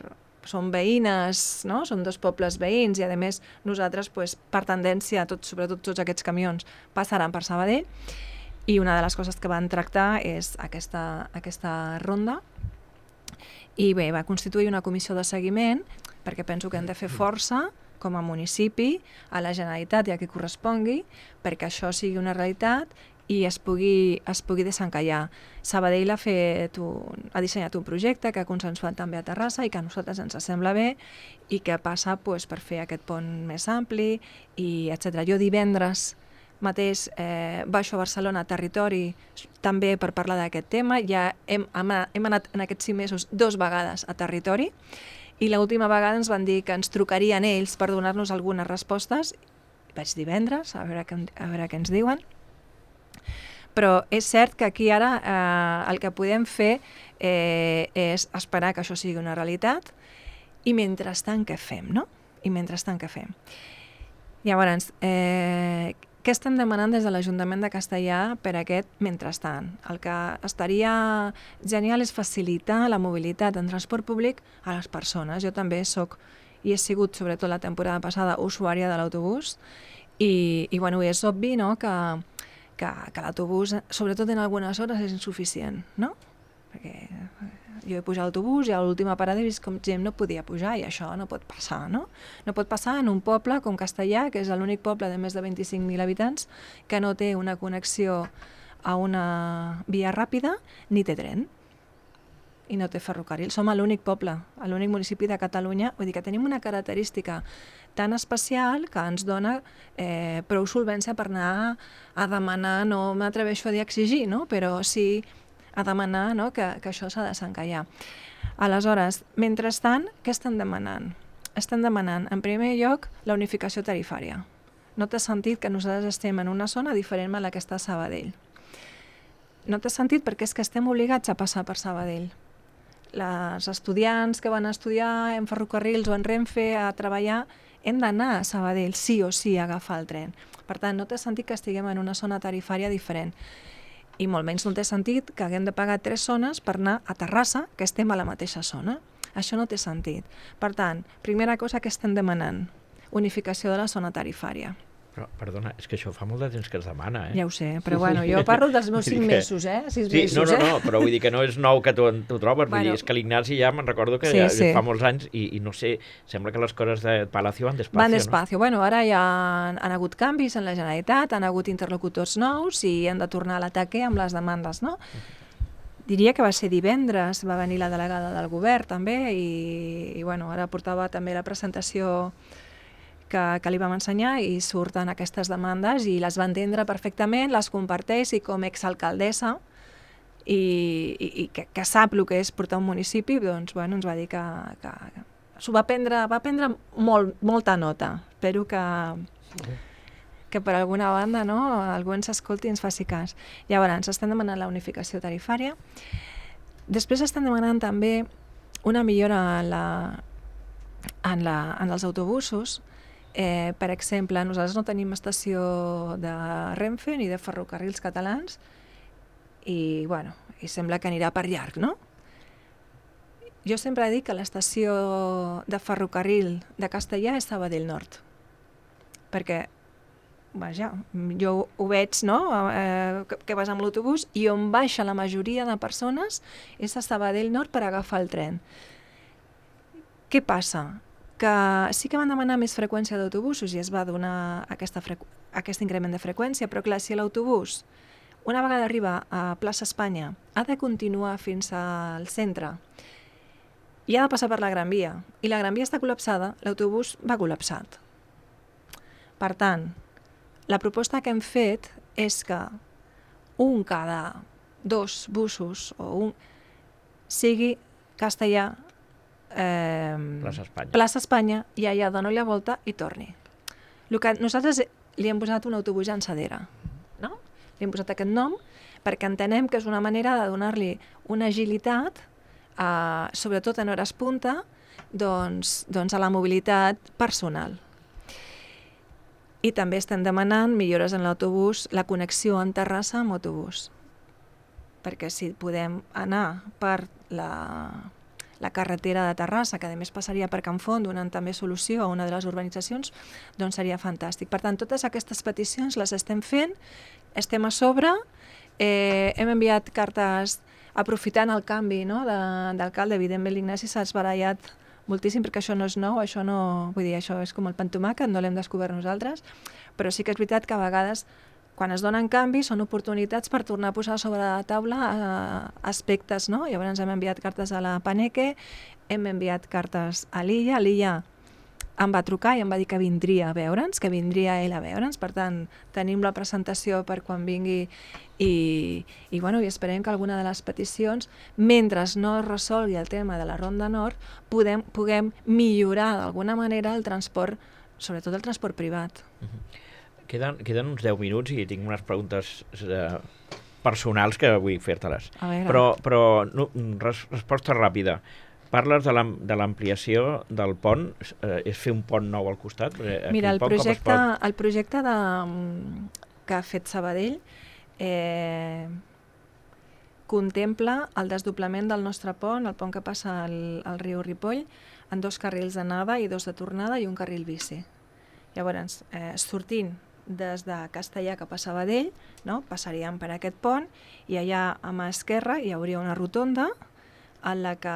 Speaker 2: són veïnes, no? Són dos pobles veïns i a més nosaltres pues, per tendència, tot, sobretot tots aquests camions passaran per Sabadell i una de les coses que van tractar és aquesta, aquesta ronda i bé, va constituir una comissió de seguiment perquè penso que hem de fer força com a municipi, a la Generalitat i a qui correspongui, perquè això sigui una realitat i es pugui, es pugui desencallar. Sabadell ha, fet un, ha dissenyat un projecte que ha consensuat també a Terrassa i que a nosaltres ens sembla bé i que passa pues, per fer aquest pont més ampli, i etcètera. Jo divendres mateix eh, baixo a Barcelona a territori també per parlar d'aquest tema. Ja hem, hem anat en aquests sis mesos dos vegades a territori i l'última vegada ens van dir que ens trucarien ells per donar-nos algunes respostes. Vaig divendres, a veure, què, a veure què ens diuen. Però és cert que aquí ara eh, el que podem fer eh, és esperar que això sigui una realitat i mentrestant què fem, no? I mentrestant què fem? Llavors, eh, què estem demanant des de l'Ajuntament de Castellà per aquest mentrestant? El que estaria genial és facilitar la mobilitat en transport públic a les persones. Jo també soc, i he sigut sobretot la temporada passada, usuària de l'autobús i, i bueno, és obvi, no?, que, que, que l'autobús, sobretot en algunes hores, és insuficient, no? Perquè jo he pujat a l'autobús i a l'última parada he vist com gent no podia pujar i això no pot passar, no? No pot passar en un poble com Castellà, que és l'únic poble de més de vint-i-cinc mil habitants que no té una connexió a una via ràpida ni té tren. i no té ferrocarril. Som l'únic poble, l'únic municipi de Catalunya, vull dir que tenim una característica tan especial que ens dona eh, prou solvència per anar a demanar, no m'atreveixo a dir exigir, no? Però sí a demanar, no? que, que això s'ha de desencallar. Aleshores, mentrestant, què estan demanant? Estan demanant, en primer lloc, la unificació tarifària. No té sentit que nosaltres estem en una zona diferent a la que està a Sabadell. No té sentit perquè és que estem obligats a passar per Sabadell. Les estudiants que van a estudiar en ferrocarrils o en Renfe a treballar hem d'anar a Sabadell, sí o sí, a agafar el tren. Per tant, no té sentit que estiguem en una zona tarifària diferent. I molt menys no té sentit que haguem de pagar tres zones per anar a Terrassa, que estem a la mateixa zona. Això no té sentit. Per tant, primera cosa que estem demanant, unificació de la zona tarifària.
Speaker 1: Però, perdona, és que això fa molt de temps que es demana, eh?
Speaker 2: Ja ho sé, però bueno, jo parlo dels meus cinc mesos, eh? Sis
Speaker 1: sí,
Speaker 2: mesos,
Speaker 1: no, no,
Speaker 2: eh?
Speaker 1: no, però vull dir que no és nou que tu t'ho trobes, vull
Speaker 2: Bueno.
Speaker 1: dir, és que l'Ignasi ja me'n recordo que
Speaker 2: Sí,
Speaker 1: ja
Speaker 2: sí.
Speaker 1: fa molts anys i, i no sé, sembla que les coses de Palacio van despacio,
Speaker 2: Van despacio. Bueno, ara ja han, han hagut canvis en la Generalitat, han hagut interlocutors nous i han de tornar a l'ataque amb les demandes, no? Diria que va ser divendres, va venir la delegada del govern també i, i bueno, ara portava també la presentació que, que li vam ensenyar i surten aquestes demandes i les va entendre perfectament, les comparteix i com a exalcaldessa i, i, i que, que sap el que és portar un municipi, doncs bueno, ens va dir que, que, que s'ho va prendre, va prendre molt, molta nota. Espero que, que per alguna banda, no, algú ens escolti i ens faci cas. Llavors, ens estan demanant la unificació tarifària. Després estan demanant també una millora en, la, en, la, en els autobusos. Eh, per exemple, nosaltres no tenim estació de Renfe ni de ferrocarrils catalans i, bueno, i sembla que anirà per llarg, no? Jo sempre dic que l'estació de ferrocarril de Castellà és Sabadell Nord, perquè vaja, jo ho veig, no? Eh, que, que vas amb l'autobús i on baixa la majoria de persones és a Sabadell Nord per agafar el tren. Què passa? Que sí que van demanar més freqüència d'autobusos i es va donar aquesta aquest increment de freqüència, però clar, si l'autobús, una vegada arriba a plaça Espanya, ha de continuar fins al centre i ha de passar per la Gran Via, i la Gran Via està col·lapsada, l'autobús va col·lapsat. Per tant, la proposta que hem fet és que un cada dos busos o un sigui castellà, eh,
Speaker 1: Plaça Espanya.
Speaker 2: Plaça Espanya i allà dona la volta i torni. El que nosaltres li hem posat un autobús llançadera, no? Li hem posat aquest nom perquè entenem que és una manera de donar-li una agilitat, eh, sobretot en hores punta, doncs, doncs a la mobilitat personal. I també estem demanant millores en l'autobús, la connexió en Terrassa amb autobús, perquè si podem anar per la, la carretera de Terrassa, que a més passaria per Can Font, donant també solució a una de les urbanitzacions, doncs seria fantàstic. Per tant, totes aquestes peticions les estem fent, estem a sobre, eh, hem enviat cartes aprofitant el canvi, no, de, d'alcalde. Evidentment l'Ignasi s'ha esbarallat moltíssim perquè això no és nou, això no, vull dir, això és com el pa amb tomàquet, no l'hem descobert nosaltres, però sí que és veritat que a vegades quan es donen canvis són oportunitats per tornar a posar sobre la taula eh, aspectes, no? Llavors hem enviat cartes a la Paneque, hem enviat cartes a l'Illa, a l'Illa em va trucar i em va dir que vindria a veure'ns, que vindria ell a veure'ns, per tant tenim la presentació per quan vingui i, i, bueno, i esperem que alguna de les peticions, mentre no es resolgui el tema de la Ronda Nord, podem, puguem millorar d'alguna manera el transport, sobretot el transport privat.
Speaker 1: Uh-huh. Queden, queden uns deu minuts i tinc unes preguntes eh, personals que vull fer-te-les. Però, però no, res, resposta ràpida. Parles de l'ampliació del pont, eh, és fer un pont nou al costat?
Speaker 2: Mira, el
Speaker 1: pont,
Speaker 2: projecte,
Speaker 1: pot...
Speaker 2: el projecte de, que ha fet Sabadell eh, contempla el desdoblament del nostre pont, el pont que passa al, al riu Ripoll, en dos carrils d'anada i dos de tornada i un carril bici. Llavors, eh, sortint des de Castellà cap a Sabadell, no? Passaríem per aquest pont i allà a mà esquerra hi hauria una rotonda en la que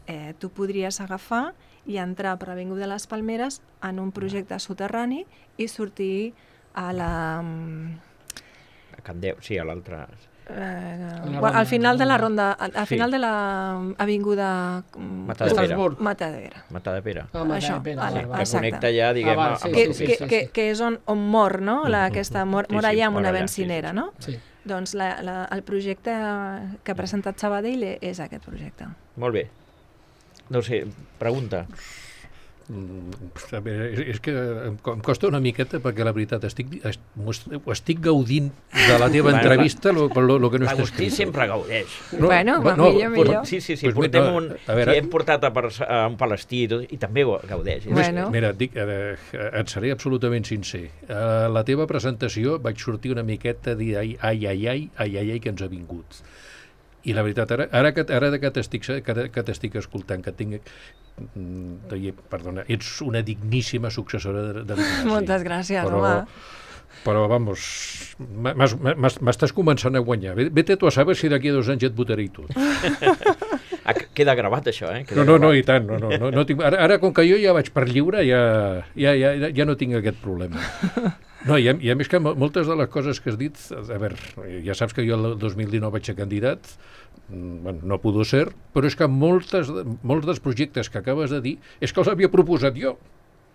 Speaker 2: eh, tu podries agafar i entrar per l'Avinguda de les Palmeres en un projecte soterrani i sortir a la...
Speaker 1: A Can Déu, sí, a l'altre...
Speaker 2: Eh, al final de la ronda, al final de l'avinguda
Speaker 1: Matadepera.
Speaker 2: Matadepera.
Speaker 1: Això, que connecta ja, diguem,
Speaker 2: que és on mor, no? Aquesta mor allà amb una bencinera, no? Doncs el projecte que ha presentat Sabadell és aquest projecte.
Speaker 1: Molt bé. No sé, pregunta.
Speaker 4: A veure, és que em costa una miqueta perquè la veritat estic, estic gaudint de la teva entrevista lo, lo, lo que no està escrit.
Speaker 1: L'Agustí sempre gaudeix.
Speaker 2: No, bueno, no, millor, millor.
Speaker 1: Sí, sí, sí, portem un, a veure, sí, hem portat a, a un palestí i, tot, i també gaudeix.
Speaker 2: Bueno.
Speaker 4: Mira, dic, eh, et seré absolutament sincer. A la teva presentació vaig sortir una miqueta a dir ai, ai, ai, ai, ai, ai, ai, que ens ha vingut. I la veritat, ara, ara, que, ara que t'estic que, que t'estic escoltant, que tinc... Perdona, ets una digníssima successora de, de l'Ignasi.
Speaker 2: Moltes gràcies,
Speaker 4: però,
Speaker 2: home.
Speaker 4: Però, vamos, m'estàs començant a guanyar. Vete tu a saber si d'aquí a dos anys et votaré i tot.
Speaker 1: Queda gravat, això, eh?
Speaker 4: Queda no, no, gravat. no, i tant. No, no, no, no tinc... ara, ara, com que jo ja vaig per lliure, ja, ja, ja, ja no tinc aquest problema. No, i a, i a més que moltes de les coses que has dit, a veure, ja saps que jo el dos mil dinou vaig ser candidat, bueno, no pudo ser, però és que moltes, molts dels projectes que acabes de dir és que els havia proposat jo.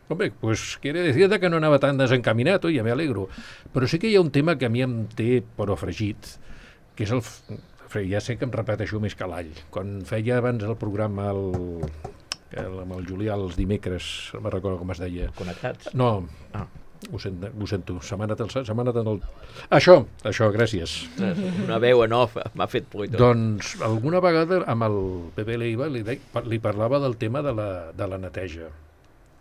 Speaker 4: Home, pues quiere decir que no anava tan desencaminat, oi, ja m'alegro. Però sí que hi ha un tema que a mi em té però fregit, que és el... Ja sé que em repeteixo més que l'all. Quan feia abans el programa el, el, amb el Julià els dimecres, no me'n recordo com es deia.
Speaker 1: Connectats?
Speaker 4: No, ah. Ho sento, ho sento. Se m'ha anat el... Se m'ha anat el... Això, això, gràcies.
Speaker 1: Una veu en off m'ha fet por i tot.
Speaker 4: Doncs alguna vegada amb el Pepe Leiva li, de, li parlava del tema de la, de la neteja,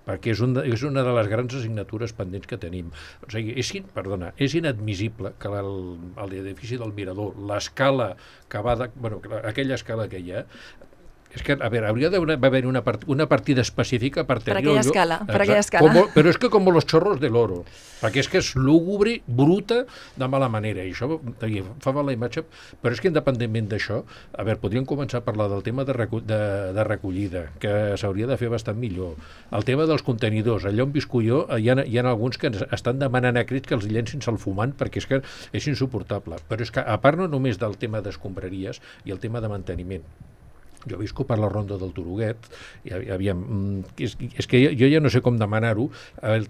Speaker 4: perquè és, un de, és una de les grans assignatures pendents que tenim. O sigui, és, perdona, és inadmissible que l'edifici del Mirador, l'escala que va... De, bueno, aquella escala que hi ha, és que, a veure, hauria d'haver una, part, una partida específica per tenir...
Speaker 2: Per aquella escala, per aquella escala.
Speaker 4: Como, però és que com los chorros de l'oro, perquè és que és lúgubre, bruta, de mala manera, i això fa mala imatge, però és que independentment d'això, a veure, podríem començar a parlar del tema de, recu de, de recollida, que s'hauria de fer bastant millor, el tema dels contenidors, allà on visco jo, hi ha, hi ha alguns que estan demanant a crits que els llencin al fumant, perquè és que és insuportable, però és que a part no només del tema d'escombraries i el tema de manteniment, jo visco per la ronda del Turuguet, i aviam, és, és que jo ja no sé com demanar-ho,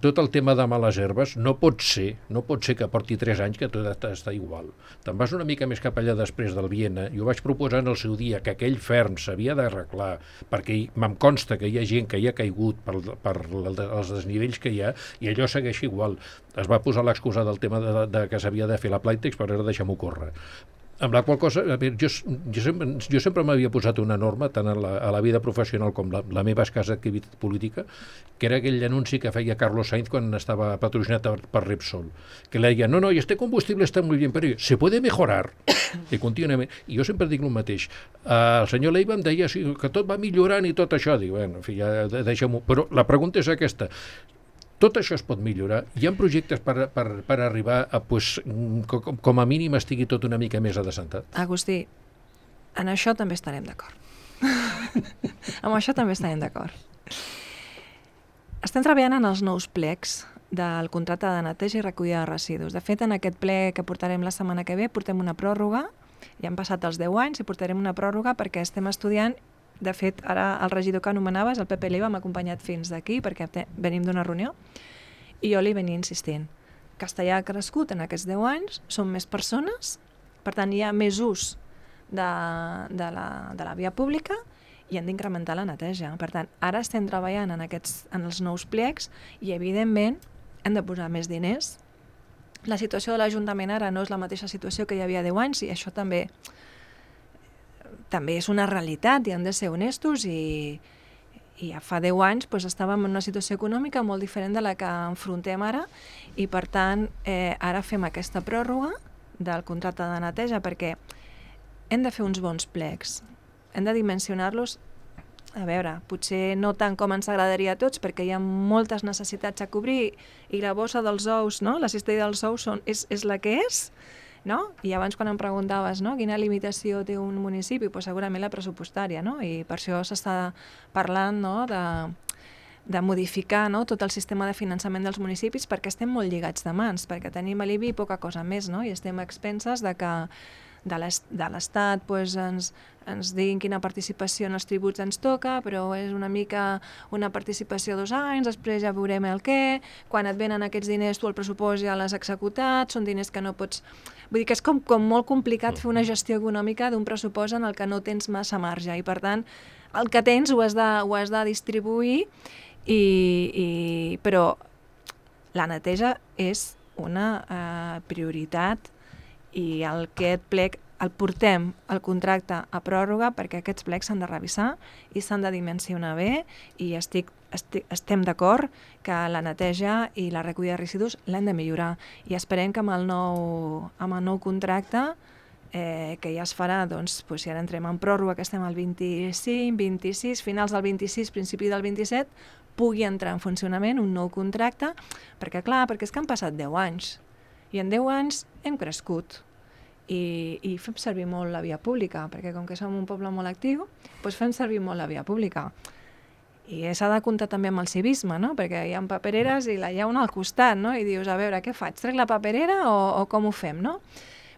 Speaker 4: tot el tema de males herbes no pot ser, no pot ser que porti tres anys que tot està igual. Te'n vas una mica més cap allà després del Viena, jo vaig proposar en el seu dia que aquell ferm s'havia d'arreglar, perquè me'n consta que hi ha gent que hi ha caigut per, per els desnivells que hi ha, i allò segueix igual. Es va posar l'excusa del tema de, de que s'havia de fer la Plytex, però ara deixem-ho córrer. Amb la qual cosa, a veure, jo, jo sempre, jo sempre m'havia posat una norma, tant a la, a la vida professional com la, la meva escassa activitat política, que era aquell anunci que feia Carlos Sainz quan estava patrocinat per, per Repsol, que le deia, no, no, este combustible està molt bé, però se puede mejorar, i contínuament. I jo sempre dic el mateix. Uh, el senyor Leiva em deia sí, que tot va millorant i tot això. Dic, bueno, en fi, ja deixem-ho. Però la pregunta és aquesta. Tot això es pot millorar. Hi ha projectes per, per, per arribar a, pues, com, com a mínim estigui tot una mica més adecentat?
Speaker 2: Agustí, en això també estarem d'acord. Amb això també estarem d'acord. Estem treballant en els nous plecs del contracte de neteja i recollida de residus. De fet, en aquest ple que portarem la setmana que ve, portem una pròrroga, ja han passat els deu anys i portarem una pròrroga perquè estem estudiant. De fet, ara el regidor que anomenaves, el Pepe Leiva, m'ha acompanyat fins d'aquí perquè venim d'una reunió i jo li venia insistint. Castellà ha crescut en aquests deu anys, són més persones, per tant hi ha més ús de, de, la, de la via pública i hem d'incrementar la neteja. Per tant, ara estem treballant en, aquests, en els nous plecs i, evidentment, hem de posar més diners. La situació de l'Ajuntament ara no és la mateixa situació que hi havia deu anys i això també... també és una realitat i hem de ser honestos i, i ja fa deu anys doncs, estàvem en una situació econòmica molt diferent de la que enfrontem ara i per tant eh, ara fem aquesta pròrroga del contracte de neteja perquè hem de fer uns bons plecs, hem de dimensionar-los, a veure, potser no tant com ens agradaria a tots perquè hi ha moltes necessitats a cobrir i la bossa dels ous, no? La cistella dels ous són, és, és la que és, no? I abans quan em preguntaves no? Quina limitació té un municipi, pues segurament la pressupostària, no? I per això s'està parlant no? de, de modificar no? tot el sistema de finançament dels municipis perquè estem molt lligats de mans, perquè tenim a l'I B I poca cosa més no? I estem a expenses de que, de l'Estat pues, ens, ens diguin quina participació en els tributs ens toca, però és una mica una participació dos anys, després ja veurem el què, quan et venen aquests diners tu el pressupost ja l'has executat, són diners que no pots... Vull dir que és com, com molt complicat fer una gestió econòmica d'un pressupost en el que no tens massa marge i per tant el que tens ho has de, ho has de distribuir i, i, però la neteja és una eh, prioritat i el que et plec el portem el contracte a pròrroga perquè aquests plecs s'han de revisar i s'han de dimensionar bé i estic, estic, estem d'acord que la neteja i la recollida de residus l'hem de millorar i esperem que amb el nou, amb el nou contracte eh, que ja es farà, doncs, doncs si ara entrem en pròrroga que estem al vint-i-cinc, vint-i-sis, finals del vint-i-sis, principi del vint-i-set, pugui entrar en funcionament un nou contracte, perquè clar, perquè és que han passat deu anys i en deu anys hem crescut i, i fem servir molt la via pública, perquè com que som un poble molt actiu, doncs fem servir molt la via pública. I s'ha de comptar també amb el civisme, no? Perquè hi ha papereres i la hi ha una al costat, no? I dius, a veure, què faig? Trec la paperera o, o com ho fem, no?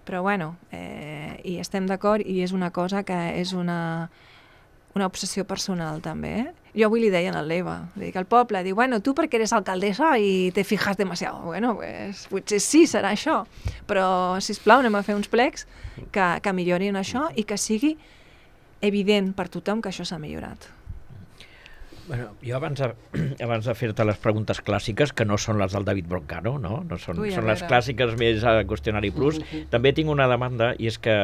Speaker 2: Però bueno, eh, i estem d'acord i és una cosa que és una, una obsessió personal també, eh? Jo avui li deia a l'Eva, li dic al poble, diu, bueno, tu perquè eres alcaldessa i te fijas demasiado. Bueno, pues, potser sí, serà això, però, sisplau, anem a fer uns plecs que, que millorin això i que sigui evident per tothom que això s'ha millorat.
Speaker 1: Bueno, jo abans de, abans de fer-te les preguntes clàssiques, que no són les del David Broncano, no? No són,
Speaker 2: Ui,
Speaker 1: són les clàssiques més a Qüestionari Plus. També tinc una demanda, i és que,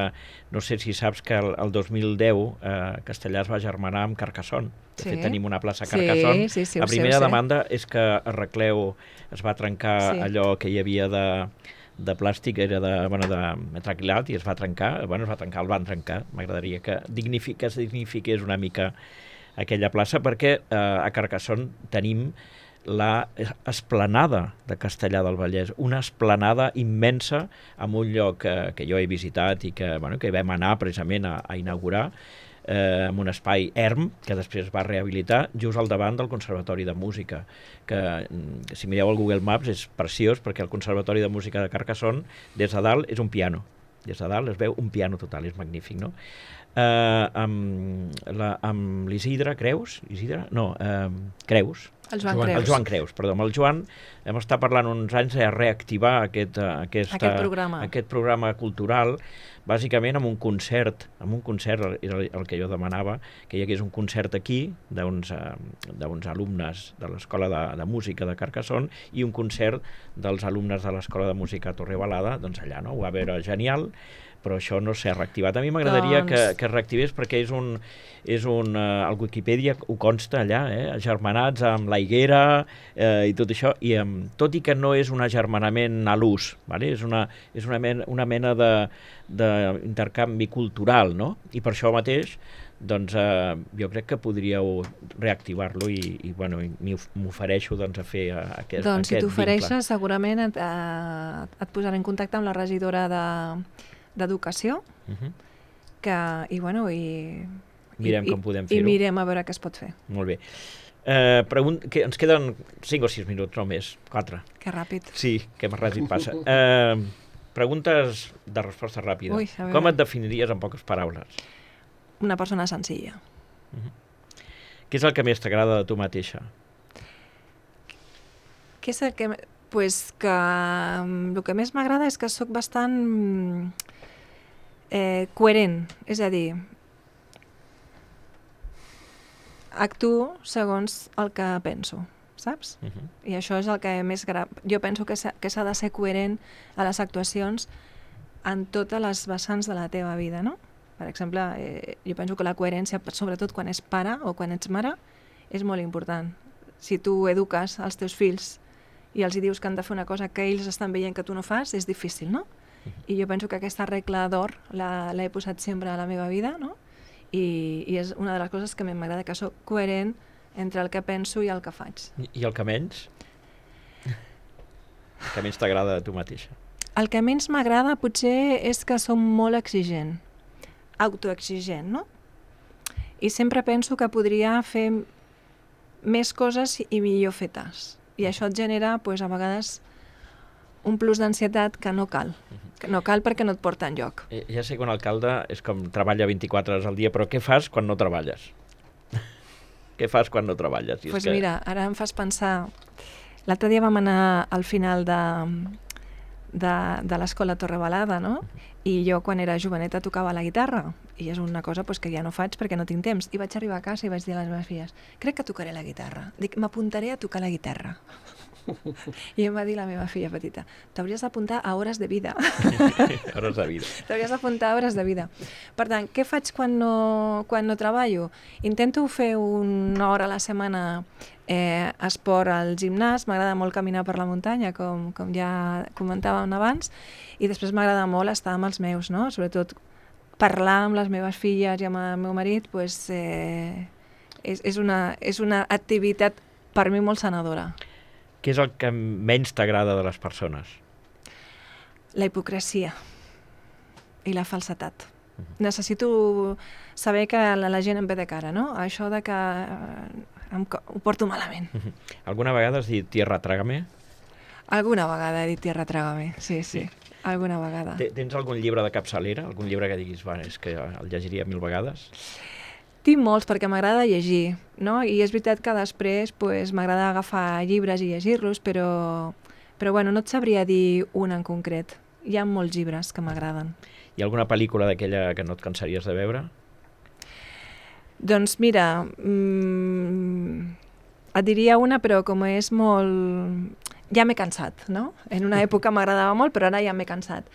Speaker 1: no sé si saps que el, el dos mil deu eh, Castellà es va germanar amb Carcassonne. De
Speaker 2: Sí.
Speaker 1: fet, tenim una plaça a Carcassonne.
Speaker 2: Sí, sí, sí,
Speaker 1: La
Speaker 2: ho sé,
Speaker 1: primera
Speaker 2: ho sé.
Speaker 1: demanda és que a Recleu es va trencar
Speaker 2: Sí.
Speaker 1: allò que hi havia de de plàstic, era de, bueno, de metraquilat i es va trencar, bueno, es va trencar, el van trencar. M'agradaria que, dignifi, que es dignifiqués una mica aquella plaça, perquè eh, a Carcassonne tenim la esplanada de Castellar del Vallès, una esplanada immensa en un lloc que, que jo he visitat i que, bueno, que vam anar precisament a, a inaugurar, eh, en un espai erm, que després es va rehabilitar, just al davant del Conservatori de Música, que, que si mireu el Google Maps és preciós, perquè el Conservatori de Música de Carcassonne, des de dalt, és un piano. Des de dalt es veu un piano total, és magnífic, no? Uh, amb, la, amb l'Isidre Creus, Isidre? No, uh, Creus.
Speaker 2: El Joan,
Speaker 4: Joan-
Speaker 2: Creus.
Speaker 1: El Joan Creus, perdó. Amb el Joan hem estat parlant uns anys de reactivar aquest, uh, aquesta,
Speaker 2: Aquest programa.
Speaker 1: aquest programa cultural, bàsicament amb un concert, amb un concert, era el, el que jo demanava, que hi hagués un concert aquí d'uns uh, d'uns alumnes de l'Escola de, de Música de Carcassonne i un concert dels alumnes de l'Escola de Música Torrebalada, doncs allà, no? Ho va veure genial, però això no s'ha reactivat. A mi m'agradaria
Speaker 2: Doncs-
Speaker 1: que, que es reactivés perquè és un... És un uh, el Wikipedia ho consta allà, eh? Agermanats amb la higuera eh, i tot això, i um, tot i que no és un agermanament a l'ús, vale? És una, és una mena, una mena de, d'intercanvi cultural, no? I per això mateix doncs eh, jo crec que podríeu reactivar-lo i, i bueno, m'ofereixo doncs, a fer uh, aquest,
Speaker 2: Doncs si
Speaker 1: aquest
Speaker 2: t'ofereixes, segurament et, eh, et posaré en contacte amb la regidora de d'Educació,
Speaker 1: vincle. Uh -huh.
Speaker 2: que, i bueno, i...
Speaker 1: Mirem
Speaker 2: i,
Speaker 1: com podem
Speaker 2: I
Speaker 1: fer-ho.
Speaker 2: mirem a veure què es pot fer.
Speaker 1: Molt bé. Eh, pregunt, que ens queden cinc o sis minuts, no més, quatre.
Speaker 2: Que ràpid.
Speaker 1: Sí, que més ràpid passa. Eh, preguntes de resposta ràpida.
Speaker 2: Ui, a veure.
Speaker 1: Com et definiries en poques paraules?
Speaker 2: Una persona senzilla.
Speaker 1: Què és el que més t'agrada de tu mateixa?
Speaker 2: Què és el que... Pues que mm, el que més m'agrada és que sóc bastant mm, eh, coherent, és a dir, actuo segons el que penso, saps?
Speaker 1: Uh -huh.
Speaker 2: I això és el que més gra... Jo penso que s'ha que s'ha de ser coherent a les actuacions en totes les vessants de la teva vida, no? Per exemple, eh, jo penso que la coherència, sobretot quan és pare o quan ets mare, és molt important. Si tu eduques els teus fills i els hi dius que han de fer una cosa que ells estan veient que tu no fas, és difícil, no? I jo penso que aquesta regla d'or l'he posat sempre a la meva vida, no? I, i és una de les coses que m'agrada, que sóc coherent entre el que penso i el que faig.
Speaker 1: I, i el que menys? El que menys t'agrada de tu mateixa?
Speaker 2: El que menys m'agrada potser és que som molt exigent, autoexigent, no? I sempre penso que podria fer més coses i millor fetes. I això et genera, pues, a vegades, un plus d'ansietat que no cal. Que no cal perquè no et porta enlloc.
Speaker 1: Eh, ja sé que un alcalde és com treballa vint-i-quatre hores al dia, però què fas quan no treballes? Què fas quan no treballes?
Speaker 2: Doncs pues que... mira, ara em fas pensar... L'altre dia vam anar al final de, de, de l'escola Torrebalada, no? I jo, quan era joveneta, tocava la guitarra. I és una cosa pues, que ja no faig perquè no tinc temps. I vaig arribar a casa i vaig dir a les meves filles, crec que tocaré la guitarra. Dic, m'apuntaré a tocar la guitarra. I em va dir la meva filla petita, t'hauries d'apuntar a hores de vida.
Speaker 1: Hores de vida.
Speaker 2: T'hauries d'apuntar a hores de vida. Per tant, què faig quan no, quan no treballo? Intento fer una hora a la setmana eh, esport al gimnàs, m'agrada molt caminar per la muntanya, com, com ja comentàvem abans, i després m'agrada molt estar amb els meus, no? Sobretot parlar amb les meves filles i amb el meu marit, pues, eh, és, és, una, és una activitat per mi molt sanadora.
Speaker 1: Què és el que menys t'agrada de les persones?
Speaker 2: La hipocresia i la falsetat. Uh-huh. Necessito saber que la, la gent em ve de cara, no? Això de que eh, em, ho porto malament. Uh-huh.
Speaker 1: Alguna vegada has dit tierra trágame?
Speaker 2: Alguna vegada he dit tierra trágame, sí, sí. sí. Alguna vegada.
Speaker 1: Tens algun llibre de capçalera? Algun llibre que diguis, va, és que el llegiria mil vegades?
Speaker 2: Tinc molts perquè m'agrada llegir, no? I és veritat que després pues, m'agrada agafar llibres i llegir-los, però, però bueno, no et sabria dir un en concret. Hi ha molts llibres que m'agraden.
Speaker 1: Hi ha alguna pel·lícula d'aquella que no et cansaries de veure?
Speaker 2: Doncs mira, mmm, et diria una, però com és molt... Ja m'he cansat, no? En una època m'agradava molt, però ara ja m'he cansat.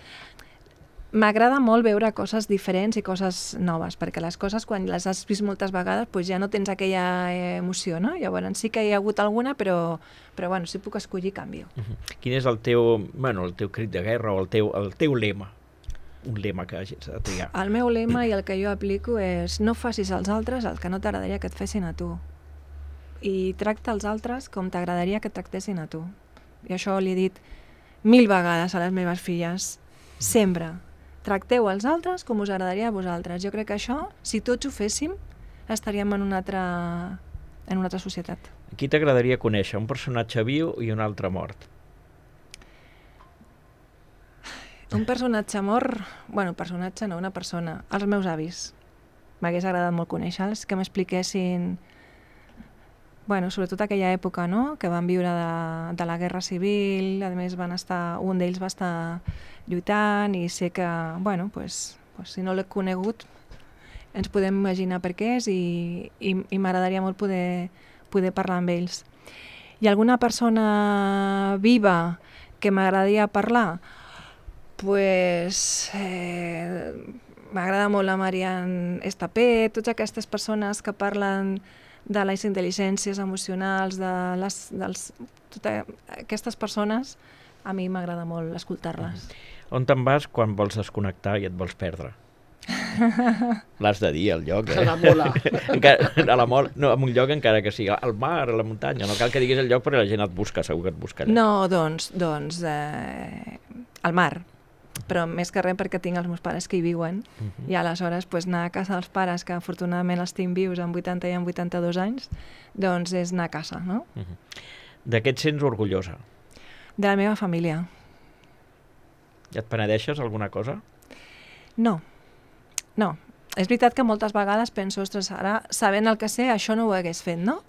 Speaker 2: M'agrada molt veure coses diferents i coses noves, perquè les coses, quan les has vist moltes vegades, pues ja no tens aquella emoció, no? Llavors sí que hi ha hagut alguna, però, però bueno, si puc escollir, canvio.
Speaker 1: Uh-huh. Quin és el teu, bueno, el teu crit de guerra o el teu, el teu lema? Un lema que hagis de triar.
Speaker 2: El meu lema i el que jo aplico és no facis als altres el que no t'agradaria que et fessin a tu. I tracta els altres com t'agradaria que et tractessin a tu. I això li he dit mil vegades a les meves filles, sempre. Tracteu els altres com us agradaria a vosaltres. Jo crec que això, si tots ho féssim, estaríem en una altra, en una altra societat.
Speaker 1: Qui t'agradaria conèixer? Un personatge viu i un altre mort?
Speaker 2: Un personatge mort... Bueno, personatge no, una persona. Els meus avis. M'hagués agradat molt conèixer-los, que m'expliquessin... Bueno, sobretot aquella època, no?, que van viure de, de la Guerra Civil, a més van estar, un d'ells va estar lluitant i sé que, bueno, pues, pues, si no l'he conegut, ens podem imaginar per què és i, i, i m'agradaria molt poder, poder parlar amb ells. Hi ha alguna persona viva que m'agradaria parlar? Pues, eh, m'agrada molt la Marian Estapé, totes aquestes persones que parlen de les intel·ligències emocionals, de les, dels, totes aquestes persones, a mi m'agrada molt escoltar-les.
Speaker 1: On te'n vas quan vols desconnectar i et vols perdre? L'has de dir, el lloc, eh?
Speaker 3: A la mola.
Speaker 1: Encara, a la mola, no, en un lloc encara que sigui al mar, a la muntanya, no cal que diguis el lloc perquè la gent et busca, segur que et buscarà.
Speaker 2: No, doncs, doncs eh, al mar. Però més que res perquè tinc els meus pares que hi viuen, uh-huh. i aleshores pues, anar a casa dels pares, que afortunadament els tinc vius amb vuitanta i amb vuitanta-dos anys, doncs és anar a casa, no?
Speaker 1: Uh-huh. De què et sents orgullosa?
Speaker 2: De la meva família.
Speaker 1: I et penedeixes alguna cosa?
Speaker 2: No, no. És veritat que moltes vegades penso, ostres, ara, sabent el que sé, això no ho hagués fet, no?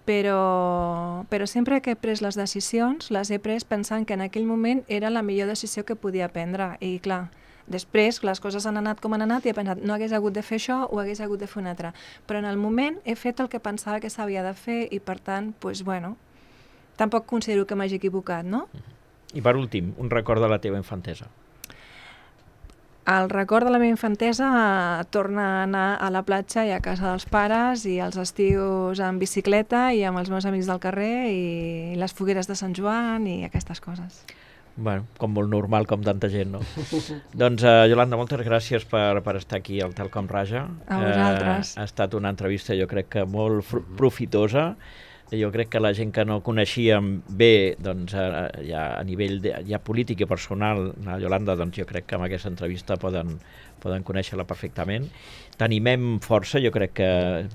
Speaker 2: Però, però sempre que he pres les decisions, les he pres pensant que en aquell moment era la millor decisió que podia prendre. I clar, després les coses han anat com han anat i he pensat, no hagués hagut de fer això o hagués hagut de fer un altre. Però en el moment he fet el que pensava que s'havia de fer i per tant, doncs, bueno, tampoc considero que m'hagi equivocat, no?
Speaker 1: I per últim, un record de la teva infantesa.
Speaker 2: El record de la meva infantesa eh, torna a anar a la platja i a casa dels pares i els estius en bicicleta i amb els meus amics del carrer i les fogueres de Sant Joan i aquestes coses.
Speaker 1: Bueno, com molt normal, com tanta gent, no? Doncs, uh, Yolanda, moltes gràcies per, per estar aquí al Talcom Raja.
Speaker 2: A vosaltres.
Speaker 1: Uh, ha estat una entrevista, jo crec que molt profitosa. jo crec que la gent que no coneixíem bé, doncs, a, ja a nivell de, ja polític i personal, la Yolanda, doncs jo crec que amb aquesta entrevista poden, poden conèixer-la perfectament. T'animem força, jo crec que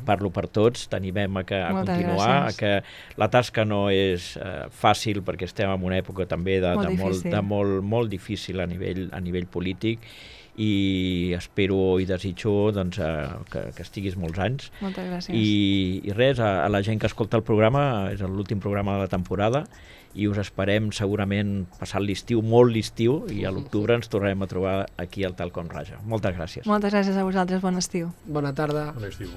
Speaker 1: parlo per tots, t'animem a, que, a
Speaker 2: Moltes
Speaker 1: continuar,
Speaker 2: gràcies.
Speaker 1: a que la tasca no és eh, fàcil, perquè estem en una època també de,
Speaker 2: Molt
Speaker 1: de, molt,
Speaker 2: difícil.
Speaker 1: de molt, molt difícil a nivell, a nivell polític, i espero i desitjo doncs, eh, que, que estiguis molts anys.
Speaker 2: Moltes gràcies.
Speaker 1: I, i res, a, a la gent que escolta el programa, és l'últim programa de la temporada, i us esperem segurament passat l'estiu, molt l'estiu, i a l'octubre ens tornarem a trobar aquí al Tal Com Raja. Moltes gràcies.
Speaker 2: Moltes gràcies a vosaltres, bon estiu.
Speaker 3: Bona tarda.
Speaker 4: Bon estiu.